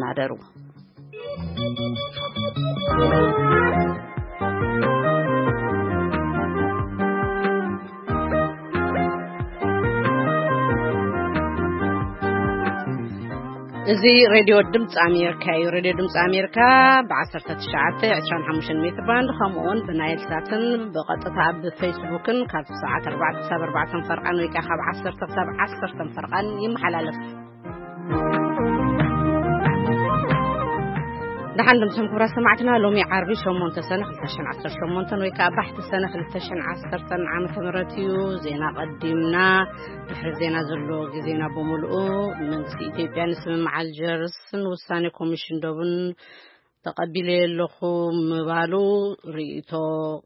ናደሩ። እዚ ሬድዮ ድምፂ ኣሜሪካ እዩ። ሬድዮ ድምፂ ኣሜሪካ ብ19፣ 25 ሜትር ባንድ፣ ከምኡ እውን ብናይል ሳትን ብቐጥታ ኣብ ፌስቡክን ካብ ሰዓት 4 ክሳብ 4 ፈርቓን ወይ ከዓ ካብ 10 ክሳብ 10 ፈርቓን ይመሓላለፍ። ደሓን ድምፅም ክብራ ሰማዕትና፣ ሎሚ ዓርቢ 8 ሰነ 2018 ወይ ከዓ ባሕቲ ሰነ 2010 ዓመተ ምህረት እዩ። ዜና ቀዲምና ድሕሪ ዜና ዘሎ ግዜና ብምልኡ። መንግስቲ ኢትዮጵያ ንስምምዕ ኣልጀርስን ውሳኔ ኮሚሽን ዶብን ተቐቢለ ኣለኹ ምባሉ ርእይቶ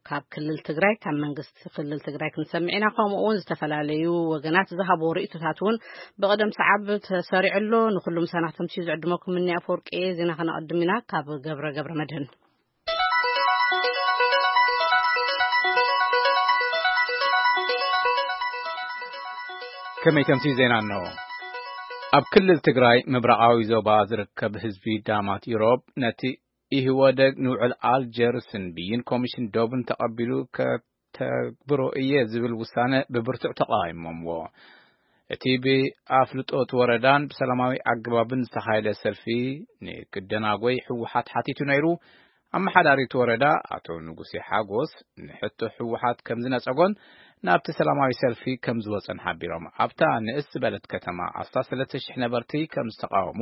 ካብ ክልል ትግራይ፣ ካብ መንግስቲ ክልል ትግራይ ክንሰምዕ ኢና። ከምኡ እውን ዝተፈላለዩ ወገናት ዝሃብዎ ርእይቶታት እውን ብቕደም ሰዓብ ተሰሪዑ ኣሎ። ንኩሉ ምሳና ክተምስዩ ዝዕድመኩም እኒ ኣፈወርቂ እየ። ዜና ከነቐድም ኢና ካብ ገብረ ገብረ መድህን። ከመይ ከምሲ ዜና ኣሎ። ኣብ ክልል ትግራይ ምብራቓዊ ዞባ ዝርከብ ህዝቢ ዳማት ኢሮብ ነቲ ኢህወደግ ንውዕል ኣልጀርስን ብይን ኮሚሽን ዶብን ተቐቢሉ ከተግብሮ እየ ዝብል ውሳነ ብብርቱዕ ተቃዊሞምዎ። እቲ ብኣፍልጦት ወረዳን ብሰላማዊ ኣገባብን ዝተኻየደ ሰልፊ ንክደናጎይ ህወሓት ሓቲቱ ነይሩ። ኣመሓዳሪት ወረዳ ኣቶ ንጉሴ ሓጎስ ንሕቶ ህወሓት ከም ዝነጸጎን ናብቲ ሰላማዊ ሰልፊ ከም ዝወጸን ሓቢሮም። ኣብታ ንእስ ዝበለት ከተማ ኣስታት 3,000 ነበርቲ ከም ዝተቃወሙ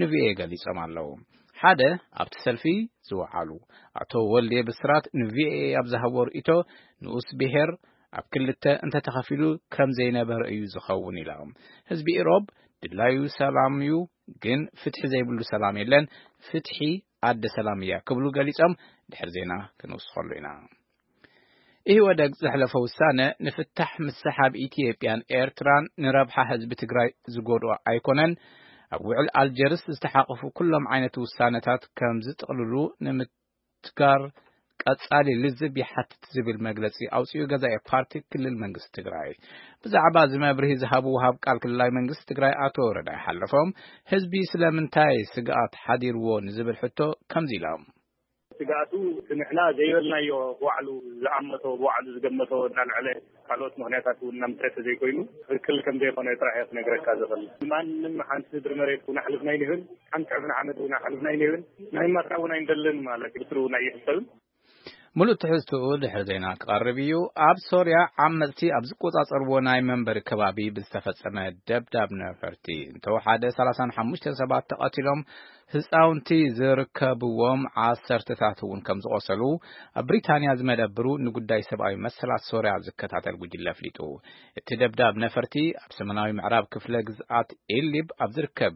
ንቪኦኤ ገሊጾም ኣለዉ። ሓደ ኣብቲ ሰልፊ ዝወዓሉ ኣቶ ወልዴ ብስራት ንቪኦኤ ኣብ ዝሃቦ ርእይቶ፣ ንኡስ ብሔር ኣብ ክልተ እንተተኸፊሉ ከም ዘይነበረ እዩ ዝኸውን ኢሎም። ህዝቢ ኢሮብ ድላዩ ሰላም እዩ፣ ግን ፍትሒ ዘይብሉ ሰላም የለን፣ ፍትሒ ኣደ ሰላም እያ ክብሉ ገሊጾም። ድሕሪ ዜና ክንውስኸሉ ኢና። ኢህወደግ ዘሕለፈ ውሳነ ንፍታሕ ምስሓብ ኢትዮጵያን ኤርትራን ንረብሓ ህዝቢ ትግራይ ዝጎድኦ ኣይኮነን። ኣብ ውዕል ኣልጀርስ ዝተሓቐፉ ኩሎም ዓይነት ውሳነታት ከም ዝጥቕልሉ ንምትጋር ቀጻሊ ልዝብ ይሓትት ዝብል መግለጺ ኣውጺኡ ገዛኢ ፓርቲ ክልል መንግስቲ ትግራይ። ብዛዕባ እዚ መብርሂ ዝሃቡ ወሃብ ቃል ክልላዊ መንግስቲ ትግራይ ኣቶ ረዳኢ ሓለፎም፣ ህዝቢ ስለምንታይ ስግኣት ሓዲርዎ ንዝብል ሕቶ ከምዚ ኢሎም። ስግኣቱ እቲ ንሕና ዘይበልናዮ ብባዕሉ ዝኣመቶ፣ ብባዕሉ ዝገመቶ እናልዐለ ካልኦት ምኽንያታት እውን እናምፀ ተዘይኮይኑ ትኽክል ከም ዘይኮነ ጥራሕ እየ ክነግረካ ዝኽእል። ማንም ሓንቲ ምድሪ መሬት እውን ኣሕልፍና ኣይንህብን፣ ሓንቲ ዕፍና ዓመት እውን ኣሕልፍና ኣይንህብን፣ ናይ ማትራ እውን ኣይንደልን ማለት እዩ። ብስሩ እውን ኣይሕሰብን። ሙሉእ ትሕዝትኡ ድሕሪ ዜና ክቐርብ እዩ። ኣብ ሶርያ ዓመጽቲ ኣብ ዝቆጻጸርዎ ናይ መንበሪ ከባቢ ብዝተፈጸመ ደብዳብ ነፈርቲ እንተወሓደ 35 ሰባት ተቐቲሎም፣ ህጻውንቲ ዝርከብዎም ዓሰርተታት እውን ከም ዝቖሰሉ ኣብ ብሪታንያ ዝመደብሩ ንጉዳይ ሰብኣዊ መሰላት ሶርያ ዝከታተል ጉጅለ ኣፍሊጡ። እቲ ደብዳብ ነፈርቲ ኣብ ሰሜናዊ ምዕራብ ክፍለ ግዝኣት ኢድሊብ ኣብ ዝርከብ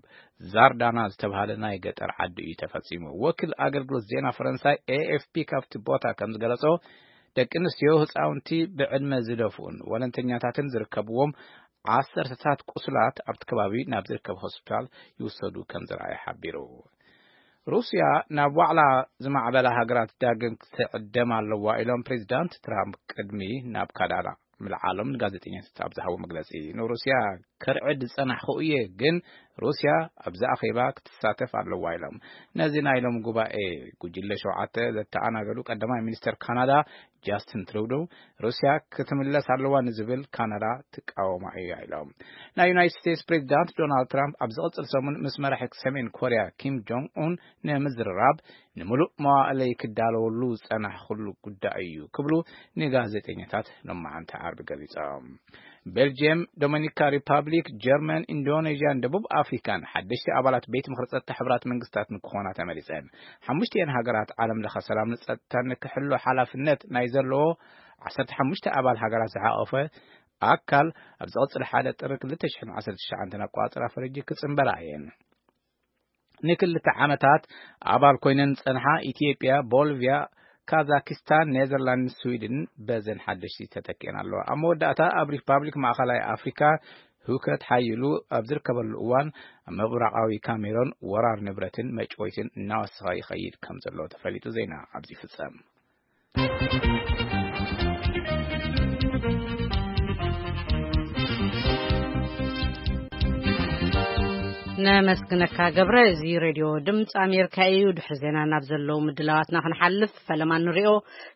ዛርዳና ዝተባህለ ናይ ገጠር ዓዲ እዩ ተፈጺሙ። ወኪል ኣገልግሎት ዜና ፈረንሳይ ኤኤፍፒ ካብቲ ቦታ ከም ዝገለጾ፣ ደቂ ኣንስትዮ፣ ህጻውንቲ፣ ብዕድመ ዝደፍኡን ወለንተኛታትን ዝርከብዎም ዓሰርተታት ቁስላት ኣብቲ ከባቢ ናብ ዝርከብ ሆስፒታል ይውሰዱ ከም ዝረኣየ ሓቢሩ። ሩስያ ናብ ዋዕላ ዝማዕበላ ሃገራት ዳግም ክትዕደም ኣለዋ ኢሎም ፕሬዚዳንት ትራምፕ ቅድሚ ናብ ካናዳ ምልዓሎም ንጋዜጠኛታት ኣብ ዝሃቦ መግለጺ፣ ንሩስያ ከርዕድ ዝጸናሕኩ እየ፣ ግን ሩስያ ኣብዚ ኣኼባ ክትሳተፍ ኣለዋ ኢሎም። ነዚ ናይ ሎም ጉባኤ ጉጅለ ሸውዓተ ዘተኣናገዱ ቀዳማይ ሚኒስተር ካናዳ ጃስትን ትሩዶ፣ ሩስያ ክትምለስ ኣለዋ ንዝብል ካናዳ ትቃወማ እያ ኢሎም። ናይ ዩናይትድ ስቴትስ ፕሬዚዳንት ዶናልድ ትራምፕ ኣብ ዝቕጽል ሰሙን ምስ መራሒ ሰሜን ኮርያ ኪም ጆንግ ኡን ንምዝርራብ ንምሉእ መዋእለይ ክዳለወሉ ዝጸናሕኩሉ ጉዳይ እዩ ክብሉ ንጋዜጠኛታት ሎማዓንቲ ዓርቢ ገሊጾም። ቤልጅየም፣ ዶሚኒካ ሪፓብሊክ፣ ጀርመን፣ ኢንዶኔዥያን ደቡብ ኣፍሪካን ሓደሽቲ ኣባላት ቤት ምኽሪ ጸጥታ ሕቡራት መንግስታት ንክኾና ተመሪጸን። ሓሙሽቲኤን ሃገራት ዓለም ለኸ ሰላም ንጸጥታን ንክሕሎ ሓላፍነት ናይ ዘለዎ 15 ኣባል ሃገራት ዝሓቆፈ ኣካል ኣብ ዝቐጽል ሓደ ጥሪ 2019 ኣቋጽራ ፈረጂ ክጽንበራ እየን። ንክልተ ዓመታት ኣባል ኮይነን ዝጸንሓ ኢትዮጵያ፣ ቦልቪያ፣ ካዛኪስታን፣ ኔዘርላንድን ስዊድን በዘን ሓደሽቲ ተተኪአን ኣለዋ። ኣብ መወዳእታ ኣብ ሪፓብሊክ ማእኸላይ ኣፍሪካ ህውከት ሓይሉ ኣብ ዝርከበሉ እዋን ኣብ ምብራቓዊ ካሜሮን ወራር ንብረትን መጭወይትን እናወሰኸ ይኸይድ ከም ዘሎ ተፈሊጡ። ዜና ኣብዚ ይፍጸም። ነመስግነካ ገብረ። እዚ ሬድዮ ድምፂ ኣሜሪካ እዩ። ድሕሪ ዜና ናብ ዘለዉ ምድላዋትና ክንሓልፍ፣ ፈለማ ንሪኦ።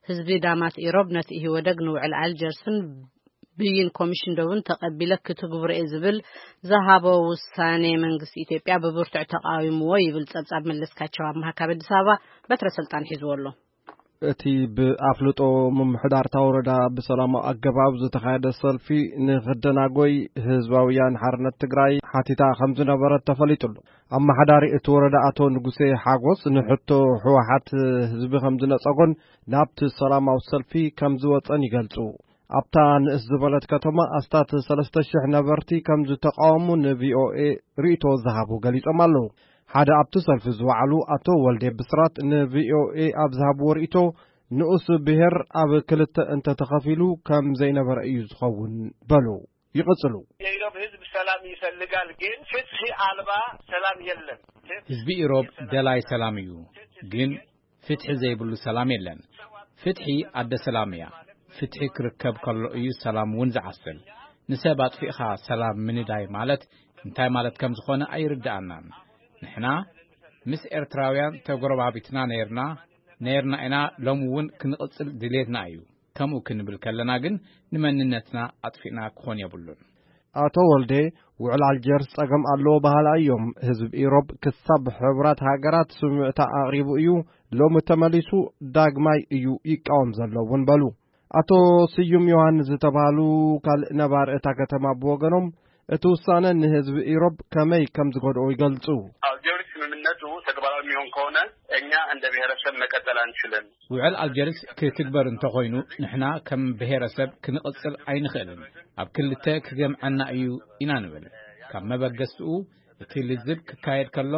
ህዝቢ ዳማት ኢሮብ ነቲ ኢህወደግ ንውዕል ኣልጀርስን ብይን ኮሚሽን ደቡን ተቐቢለ ክትግብሮ እየ ዝብል ዝሃቦ ውሳኔ መንግስቲ ኢትዮጵያ ብብርቱዕ ተቃዊምዎ ይብል ጸብጻብ መለስካቸው ኣምሃ ካብ ኣዲስ ኣበባ። በትረ ስልጣን ሒዝዎ ኣሎ። እቲ ብኣፍልጦ ምምሕዳር እታ ወረዳ ብሰላማዊ ኣገባብ ዝተኻየደ ሰልፊ ንኽደናጎይ ህዝባውያን ሓርነት ትግራይ ሓቲታ ከም ዝነበረት ተፈሊጡ ኣሎ። ኣመሓዳሪ እቲ ወረዳ ኣቶ ንጉሴ ሓጎስ ንሕቶ ህወሓት ህዝቢ ከም ዝነጸጎን ናብቲ ሰላማዊ ሰልፊ ከም ዝወጸን ይገልጹ። ኣብታ ንእስ ዝበለት ከተማ ኣስታት ሰለስተ ሽሕ ነበርቲ ከም ዝተቃወሙ ንቪኦኤ ርእይቶ ዝሃቡ ገሊጾም ኣለዉ። ሓደ ኣብቲ ሰልፊ ዝወዓሉ ኣቶ ወልዴ ብስራት ንቪኦኤ ኣብ ዝሃብዎ ርእይቶ፣ ንኡስ ብሔር ኣብ ክልተ እንተተኸፊሉ ከም ዘይነበረ እዩ ዝኸውን በሉ። ይቕጽሉ። የኢሮብ ህዝብ ሰላም ይፈልጋል፣ ግን ፍትሒ ኣልባ ሰላም የለን። ህዝቢ ኢሮብ ደላይ ሰላም እዩ፣ ግን ፍትሒ ዘይብሉ ሰላም የለን። ፍትሒ ኣደ ሰላም እያ። ፍትሒ ክርከብ ከሎ እዩ ሰላም እውን ዝዓስል። ንሰብ ኣጥፊእኻ ሰላም ምንዳይ ማለት እንታይ ማለት ከም ዝኾነ ኣይርድኣናን። ንሕና ምስ ኤርትራውያን ተጎረባቢትና ነይርና፣ ነይርና ኢና፣ ሎሚ እውን ክንቕጽል ድሌትና እዩ። ከምኡ ክንብል ከለና ግን ንመንነትና ኣጥፊእና ክኾን የብሉን። ኣቶ ወልዴ፣ ውዕል ኣልጀርስ ጸገም ኣለዎ በሃላ እዮም። ህዝቢ ኢሮብ ክሳብ ሕቡራት ሃገራት ስምዕታ ኣቕሪቡ እዩ፣ ሎሚ ተመሊሱ ዳግማይ እዩ ይቃወም ዘሎ እውን በሉ። ኣቶ ስዩም ዮሃንስ ዝተባህሉ ካልእ ነባሪ እታ ከተማ ብወገኖም፣ እቲ ውሳነ ንህዝቢ ኢሮብ ከመይ ከም ዝጎድኦ ይገልጹ። ኣልጀርስ ስምምነቱ ተግባራዊ የሚሆን ከሆነ እኛ እንደ ብሔረሰብ መቀጠል አንችልም። ውዕል ኣልጀርስ ክትግበር እንተኾይኑ ንሕና ከም ብሔረሰብ ክንቕጽል ኣይንኽእልን። ኣብ ክልተ ክገምዐና እዩ ኢና ንብል። ካብ መበገስትኡ እቲ ልዝብ ክካየድ ከሎ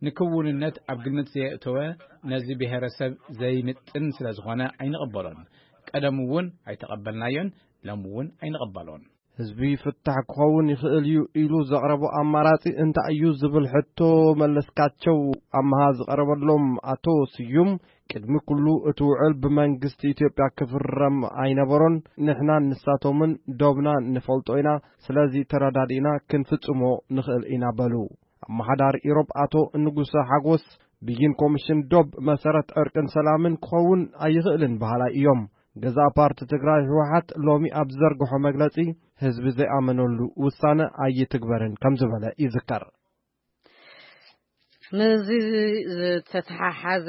ንክውንነት ኣብ ግምት ዘየእተወ ነዚ ብሔረሰብ ዘይምጥን ስለ ዝኾነ ኣይንቕበሎን። ቀደም እውን ኣይተቐበልናዮን፣ ሎም እውን ኣይንቕበሎን። ህዝቢ ፍታሕ ክኸውን ይኽእል እዩ ኢሉ ዘቕረቦ ኣማራጺ እንታይ እዩ ዝብል ሕቶ መለስካቸው ኣምሃ ዝቐረበሎም ኣቶ ስዩም፣ ቅድሚ ኩሉ እቲ ውዕል ብመንግስቲ ኢትዮጵያ ክፍረም ኣይነበሮን። ንሕናን ንሳቶምን ዶብና ንፈልጦ ኢና። ስለዚ ተረዳዲእና ክንፍጽሞ ንኽእል ኢና በሉ። ኣመሓዳሪ ኢሮብ ኣቶ ንጉሰ ሓጎስ፣ ብይን ኮሚሽን ዶብ መሰረት ዕርቅን ሰላምን ክኸውን ኣይኽእልን በሃላይ እዮም። ገዛእ ፓርቲ ትግራይ ህወሓት ሎሚ ኣብ ዝዘርግሖ መግለጺ፣ ህዝቢ ዘይኣመነሉ ውሳነ ኣይትግበርን ከም ዝበለ ይዝከር። ምስዚ ዝተተሓሓዘ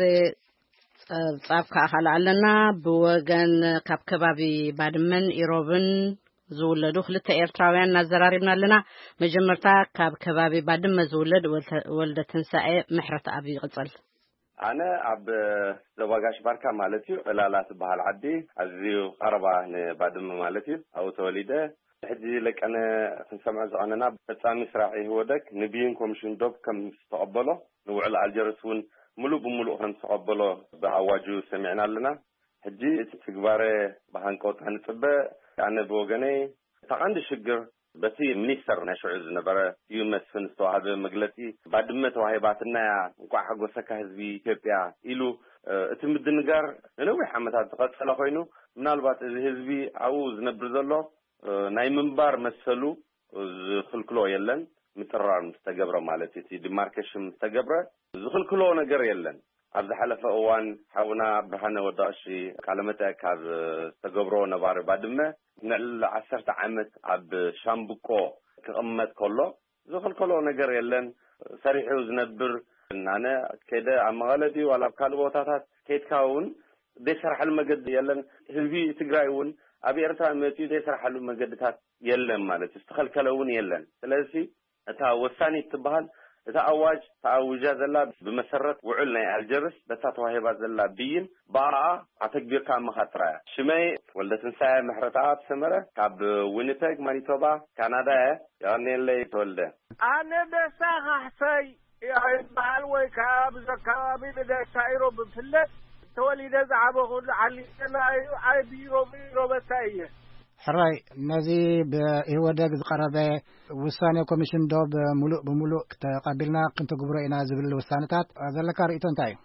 ጸብጻብ ከኣ ካልእ ኣለና። ብወገን ካብ ከባቢ ባድመን ኢሮብን ዝውለዱ ክልተ ኤርትራውያን እናዘራሪብና ኣለና። መጀመርታ ካብ ከባቢ ባድመ ዝውለድ ወልተ-፣ ወልደ ትንሳኤ ምሕረት ኣብ ይቕጽል። ኣነ ኣብ ዞባ ጋሽ ባርካ ማለት እዩ፣ ዕላላ ትበሃል ዓዲ፣ ኣዝዩ ቀረባ ንባድመ ማለት እዩ፣ ኣብኡ ተወሊደ። ሕጂ ለቀነ ክንሰምዖ ዝቐነና ፈጻሚ ስራሕ ኢህወደግ ንብይን ኮሚሽን ዶብ ከም ዝተቐበሎ፣ ንውዕል ኣልጀርስ እውን ምሉእ ብምሉእ ከም ዝተቐበሎ ብኣዋጁ ሰሚዕና ኣለና። ሕጂ እቲ ትግባረ ብሃንቀውታ ንጽበ። ኣነ ብወገነይ እታ ቀንዲ ሽግር በቲ ሚኒስተር ናይ ሽዑ ዝነበረ እዩ መስፍን ዝተዋህበ መግለጺ፣ "ባድመ ተዋሂባትና እያ፣ እንቋዕ ሓጎሰካ ህዝቢ ኢትዮጵያ" ኢሉ፣ እ፣ እቲ ምድንጋር ንነዊሕ ዓመታት ዝቐጸለ ኮይኑ፣ ምናልባት እዚ ህዝቢ ኣብኡ ዝነብር ዘሎ፣ እ፣ ናይ ምንባር መሰሉ ዝኽልክሎ የለን። ምጥራር ምስ ተገብረ ማለት እቲ ዲማርኬሽን ምስ ተገብረ ዝኽልክሎ ነገር የለን። ኣብ ዝሓለፈ እዋን ሓውና ብርሃነ ወዲ ቀሺ ቃለ መጠይቅ ካብ ዝተገብሮ ነባሪ ባድመ ንልዕሊ ዓሰርተ ዓመት ኣብ ሻምብቆ ክቕመጥ ከሎ ዝኽልከሎ ነገር የለን። ሰሪሑ ዝነብር፣ ኣነ ከደ ኣብ መቐለ ድዩ ዋላ ኣብ ካልእ ቦታታት ከይድካ እውን ዘይሰራሓሉ መገዲ የለን። ህዝቢ ትግራይ እውን ኣብ ኤርትራ መፂኡ ዘይሰራሓሉ መገድታት የለን ማለት እዩ። ዝተኸልከለ እውን የለን። ስለዚ እታ ወሳኒት ትበሃል፣ እታ ኣዋጅ ተኣዊጃ ዘላ ብመሰረት ውዕል ናይ ኣልጀርስ በታ ተዋሂባ ዘላ ብይን ብኣኣ ኣተግቢርካ ምኻድ ጥራይ እያ። ሽመይ ወልደ ትንሳኤ ምሕረተኣብ ሰመረ፣ ካብ ዊኒፔግ ማኒቶባ ካናዳ እየ። የቐንየለይ ተወልደ። ኣነ ደስታ ካሕሳይ ይበሃል፣ ወይ ካብ እዚ ኣካባቢ ብደስታ ኢሮብ ብፍለጥ፣ ተወሊደ ዝዓበኹሉ ዓሊተና እዩ። ዓቢ ኢሮብ ኢሮበታ እየ። ሕራይ፣ ነዚ ብኢህወደግ ዝቐረበ ውሳኔ ኮሚሽን ዶብ ምሉእ ብምሉእ ተቐቢልና ክንትግብሮ ኢና ዝብል ውሳነታት ዘለካ ርእይቶ እንታይ እዩ?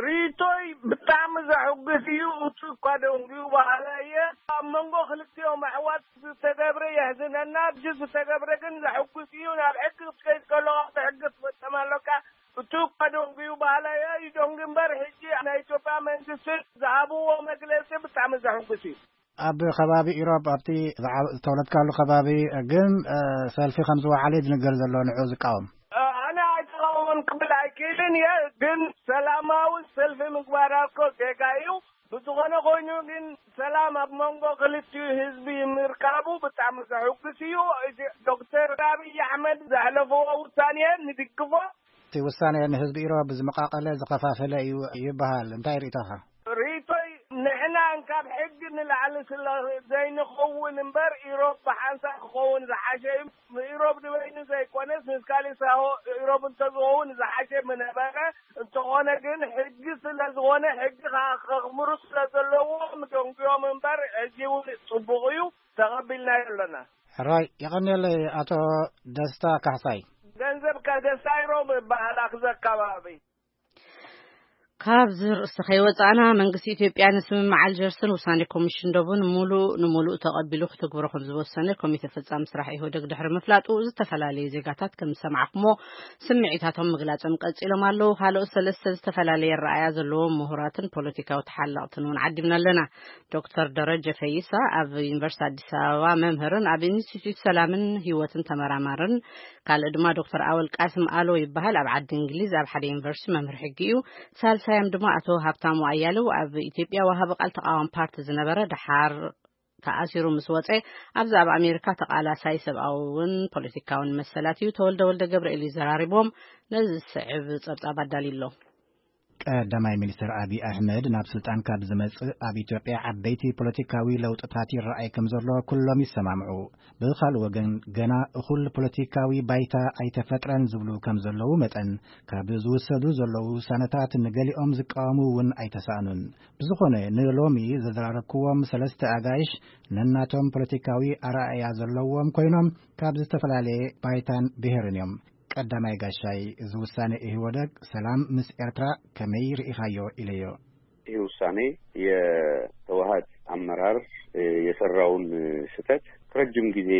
ርእይቶይ ብጣዕሚ ዘሕጉስ እዩ። እቱ እኳ ደንጉዩ በሃላ እየ። ኣብ መንጎ ክልቲኦም ኣሕዋት ዝተገብረ የሕዝነና። ብጅ ዝተገብረ ግን ዘሕጉስ እዩ። ናብ ሕጊ ክትከይድ ከሎ ካብቲ ሕጊ ትፈጸም ኣሎካ። እቱ እኳ ደንጉዩ በሃላ እየ። ይደንጉ እምበር ሕጂ ናይ ኢትዮጵያ መንግስቲ ዝሃብዎ መግለጺ ብጣዕሚ ዘሕጉስ እዩ። ኣብ ከባቢ ኢሮብ ኣብቲ ዝዓ-፣ ዝተወለድካሉ ከባቢ ግን፣ እ፣ ሰልፊ ከም ዝወዓለ እዩ ዝንገር ዘሎ ንዑ ዝቃወም። እ፣ ኣነ ኣይተቃወምን ክብል ኣይክእልን እየ፣ ግን ሰላማዊ ሰልፊ ምግባር እኮ ጌጋ እዩ። ብዝኾነ ኮይኑ ግን ሰላም ኣብ መንጎ ክልቲኡ ህዝቢ ምርካቡ ብጣዕሚ ዘሕጉስ እዩ። እዚ ዶክተር ኣብይ ኣሕመድ ዘሕለፍዎ ውሳኔ ንድግፎ። እቲ ውሳኔ ንህዝቢ ኢሮብ ዝመቃቀለ ዝኸፋፈለ እዩ ይበሃል። እንታይ ርእይቶኻ? ርእይቶይ ንሕና እንካብ ሕጊ ንላዕሊ ስለ ዘይንኸውን እምበር ኢሮብ ብሓንሳብ ክኸውን ዝሓሸ እዩ። ኢሮብ ንበይኑ ዘይኮነስ ምስ ካሊእ ሳሆ ኢሮብ እንተዝኸውን ዝሓሸ ምነበረ። እንተኾነ ግን ሕጊ ስለ ዝኾነ ሕጊ ከ-፣ ከኽብሩ ስለ ዘለዎም ደንጉዮም እምበር ሕጂ እውን ጽቡቕ እዩ፣ ተቐቢልናዮ ኣለና። ሕራይ፣ የቐንየለይ ኣቶ ደስታ ካሕሳይ። ገንዘብ ከደስታ ኢሮብ ይበሃል ኣክዘ ኣካባቢ። ካብዚ ርእሲ ከይወጻእና፣ መንግስቲ ኢትዮጵያ ንስምምዕ ኣልጀርስን ውሳኔ ኮሚሽን ዶብን ሙሉእ ንሙሉእ ተቐቢሉ ክትግብሮ ከም ዝወሰነ ኮሚቴ ፈጻሚ ስራሕ ኢህወደግ ድሕሪ ምፍላጡ፣ ዝተፈላለዩ ዜጋታት ከም ዝሰማዕኩሞ ስምዒታቶም ምግላጾም ቀጺሎም ኣለዉ። ካልኦት ሰለስተ ዝተፈላለየ ኣረኣእያ ዘለዎም ምሁራትን ፖለቲካዊ ተሓለቕትን እውን ዓዲምና ኣለና። ዶክተር ደረጀ ፈይሳ ኣብ ዩኒቨርሲቲ ኣዲስ ኣበባ መምህርን ኣብ ኢንስቲትዩት ሰላምን ህይወትን ተመራማርን፣ ካልእ ድማ ዶክተር ኣወል ቃስም ኣሎ ይበሃል። ኣብ ዓዲ እንግሊዝ ኣብ ሓደ ዩኒቨርሲቲ መምህር ሕጊ እዩ። ሳልሳዮም ድማ ኣቶ ሃብታሙ ኣያሌው ኣብ ኢትዮጵያ ወሃቢ ቃል ተቃዋሚ ፓርቲ ዝነበረ፣ ደሓር ተኣሲሩ ምስ ወጸ ኣብዚ ኣብ ኣሜሪካ ተቃላሳይ ሰብኣውን ፖለቲካውን መሰላት እዩ። ተወልደ ወልደ ገብርኤል እዩ ዘራሪቦም። ነዚ ዝስዕብ ጸብጻብ ኣዳልዩ ኣሎ። ቀዳማይ ሚኒስትር ኣብይ ኣሕመድ ናብ ስልጣን ካብ ዝመጽእ ኣብ ኢትዮጵያ ዓበይቲ ፖለቲካዊ ለውጥታት ይረኣይ ከም ዘሎ ኩሎም ይሰማምዑ። ብኻልእ ወገን ገና እኹል ፖለቲካዊ ባይታ ኣይተፈጥረን ዝብሉ ከም ዘለዉ መጠን ካብ ዝውሰዱ ዘለዉ ውሳነታት ንገሊኦም ዝቃወሙ እውን ኣይተሳእኑን። ብዝኾነ ንሎሚ ዘዘራረብክዎም ሰለስተ ኣጋይሽ ነናቶም ፖለቲካዊ ኣረኣእያ ዘለዎም ኮይኖም ካብ ዝተፈላለየ ባይታን ብሔርን እዮም። ቀዳማይ ጋሻይ፣ እዚ ውሳኔ ኢህወደግ ሰላም ምስ ኤርትራ ከመይ ርኢኻዮ ኢለዮ። ይህ ውሳኔ የህወሓት አመራር የሰራውን ስህተት ከረጅም ጊዜ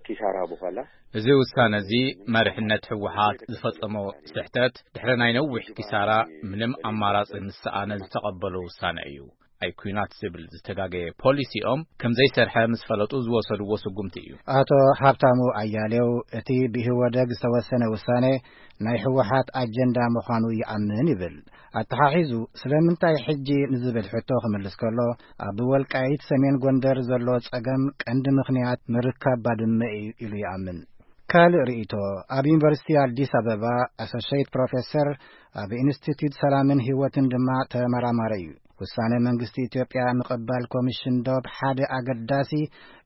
ኪሳራ በኋላ እዚ ውሳነ እዚ መሪሕነት ህወሓት ዝፈጸሞ ስሕተት ድሕሪ ናይ ነዊሕ ኪሳራ ምንም ኣማራጺ ምስ ሰኣነ ዝተቐበሎ ውሳነ እዩ። ኣይ ኲናት ዝብል ዝተጋገየ ፖሊሲኦም ከም ዘይሰርሐ ምስ ፈለጡ ዝወሰድዎ ስጉምቲ እዩ። ኣቶ ሃብታሙ ኣያሌው እቲ ብኢህወደግ ዝተወሰነ ውሳኔ ናይ ህወሓት ኣጀንዳ ምዃኑ ይኣምን ይብል። ኣተሓሒዙ ስለምንታይ ሕጂ ንዝብል ሕቶ ክምልስ ከሎ ኣብ ወልቃይት ሰሜን ጎንደር ዘሎ ጸገም ቀንዲ ምኽንያት ምርካብ ባድመ እዩ ኢሉ ይኣምን። ካልእ ርእይቶ፣ ኣብ ዩኒቨርሲቲ ኣዲስ ኣበባ ኣሶሼት ፕሮፌሰር፣ ኣብ ኢንስቲትዩት ሰላምን ህይወትን ድማ ተመራማሪ እዩ። ውሳነ መንግስቲ ኢትዮጵያ ምቕባል ኮሚሽን ዶብ ሓደ ኣገዳሲ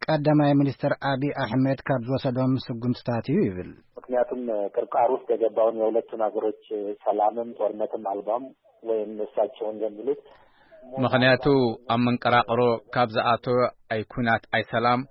ቀዳማይ ሚኒስትር ኣብይ ኣሕመድ ካብ ዝወሰዶም ስጉምትታት እዩ ይብል። ምክንያቱም ቅርቃር ውስጥ የገባውን የሁለቱን ሀገሮች ሰላምም ጦርነትም አልባም ወይም እሳቸው እንደሚሉት ምኽንያቱ ኣብ መንቀራቕሮ ካብ ዝኣተወ ኣይ ኲናት ኣይ ሰላም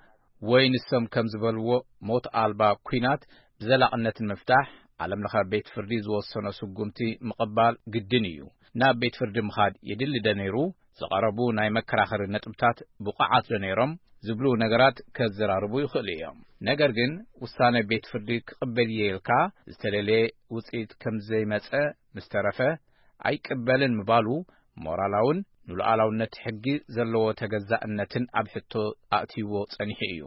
ወይ ንሶም ከም ዝበልዎ ሞት ኣልባ ኲናት ብዘላቕነት ንምፍታሕ ዓለም ለኸ ቤት ፍርዲ ዝወሰኖ ስጉምቲ ምቕባል ግድን እዩ። ናብ ቤት ፍርዲ ምኻድ የድሊ ዶ ነይሩ? ዝቐረቡ ናይ መከራኸሪ ነጥብታት ብቑዓት ዶ ነይሮም? ዝብሉ ነገራት ከዘራርቡ ይኽእሉ እዮም። ነገር ግን ውሳነ ቤት ፍርዲ ክቕበል እየ ኢልካ ዝተለለየ ውፅኢት ከም ዘይመፀ ምስ ተረፈ ኣይቅበልን ምባሉ ሞራላውን ንሉዓላውነት ሕጊ ዘለዎ ተገዛእነትን ኣብ ሕቶ ኣእትይዎ ጸኒሑ እዩ።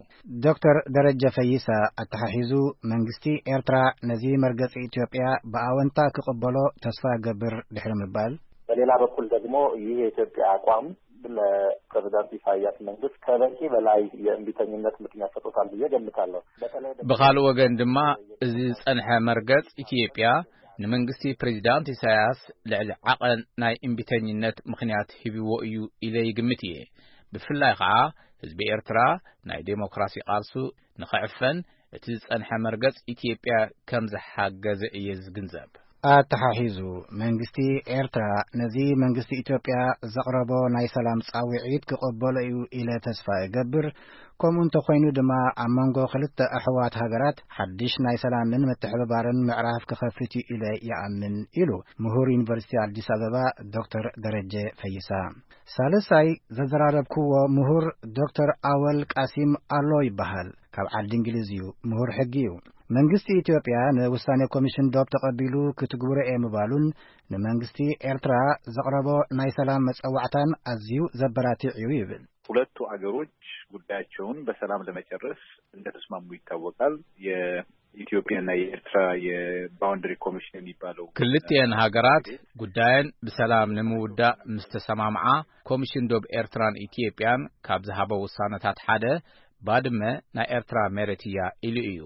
ዶክተር ደረጀ ፈይሳ ኣተሓሒዙ መንግስቲ ኤርትራ ነዚ መርገጺ ኢትዮጵያ ብኣወንታ ክቕበሎ ተስፋ እገብር ድሕሪ ምባል፣ በሌላ በኩል ደግሞ ይህ የኢትዮጵያ አቋም ለፕሬዚዳንት ኢሳያስ መንግስት ከበቂ በላይ የእምቢተኝነት ምክንያት ሰጥቶታል ብዬ ገምታለሁ። በተለይ ደግሞ ብኻልእ ወገን ድማ እዚ ዝጸንሐ መርገጽ ኢትዮጵያ ንመንግስቲ ፕሬዚዳንት ኢሳያስ ልዕሊ ዓቐን ናይ እምቢተኝነት ምኽንያት ሂብዎ እዩ ኢለ ይግምት እየ። ብፍላይ ኸዓ ህዝቢ ኤርትራ ናይ ዴሞክራሲ ቃልሱ ንኽዕፈን እቲ ዝጸንሐ መርገጽ ኢትዮጵያ ከም ዝሓገዘ እየ ዝግንዘብ። ኣተሓሒዙ፣ መንግስቲ ኤርትራ ነዚ መንግስቲ ኢትዮጵያ ዘቕረቦ ናይ ሰላም ጻውዒት ክቕበሎ እዩ ኢለ ተስፋ እገብር። ከምኡ እንተኾይኑ ድማ፣ ኣብ መንጎ ክልተ ኣሕዋት ሃገራት ሓድሽ ናይ ሰላምን ምትሕብባርን ምዕራፍ ክኸፍት እዩ ኢለ ይኣምን፣ ኢሉ ምሁር ዩኒቨርሲቲ ኣዲስ ኣበባ ዶክተር ደረጀ ፈይሳ። ሳልሳይ ዘዘራረብክዎ ምሁር ዶክተር ኣወል ቃሲም ኣሎ ይበሃል። ካብ ዓዲ እንግሊዝ እዩ። ምሁር ሕጊ እዩ። መንግስቲ ኢትዮጵያ ንውሳኔ ኮሚሽን ዶብ ተቐቢሉ ክትግብሮ እየ ምባሉን፣ ንመንግስቲ ኤርትራ ዘቕረቦ ናይ ሰላም መጸዋዕታን ኣዝዩ ዘበራትዕ እዩ ይብል። ሁለቱ አገሮች ጉዳያቸውን በሰላም ለመጨረስ እንደተስማሙ ይታወቃል። የኢትዮጵያና የኤርትራ የባውንደሪ ኮሚሽን የሚባለው ክልቲኤን ሃገራት ጉዳየን ብሰላም ንምውዳእ ምስ ተሰማምዓ፣ ኮሚሽን ዶብ ኤርትራን ኢትዮጵያን ካብ ዝሃቦ ውሳነታት ሓደ፣ ባድመ ናይ ኤርትራ መሬት እያ ኢሉ እዩ።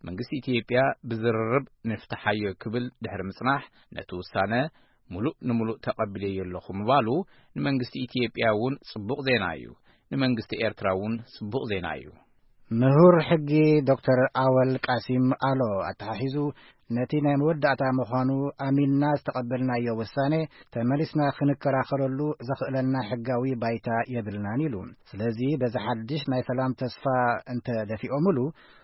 መንግስቲ ኢትዮጵያ ብዝርርብ ንፍትሓዮ ክብል ድሕሪ ምጽናሕ፣ ነቲ ውሳነ ሙሉእ ንሙሉእ ተቐቢለዮ ኣለኹ ምባሉ ንመንግስቲ ኢትዮጵያ እውን ጽቡቕ ዜና እዩ። ንመንግስቲ ኤርትራ እውን ጽቡቕ ዜና እዩ። ምሁር ሕጊ ዶክተር ኣወል ቃሲም ኣሎ ኣተሓሒዙ፣ ነቲ ናይ መወዳእታ ምዃኑ ኣሚንና ዝተቐበልናዮ ውሳኔ፣ ተመሊስና ክንከራኸረሉ ዘኽእለና ሕጋዊ ባይታ የብልናን ኢሉ። ስለዚ በዚ ሓድሽ ናይ ሰላም ተስፋ እንተ ደፊኦምሉ፣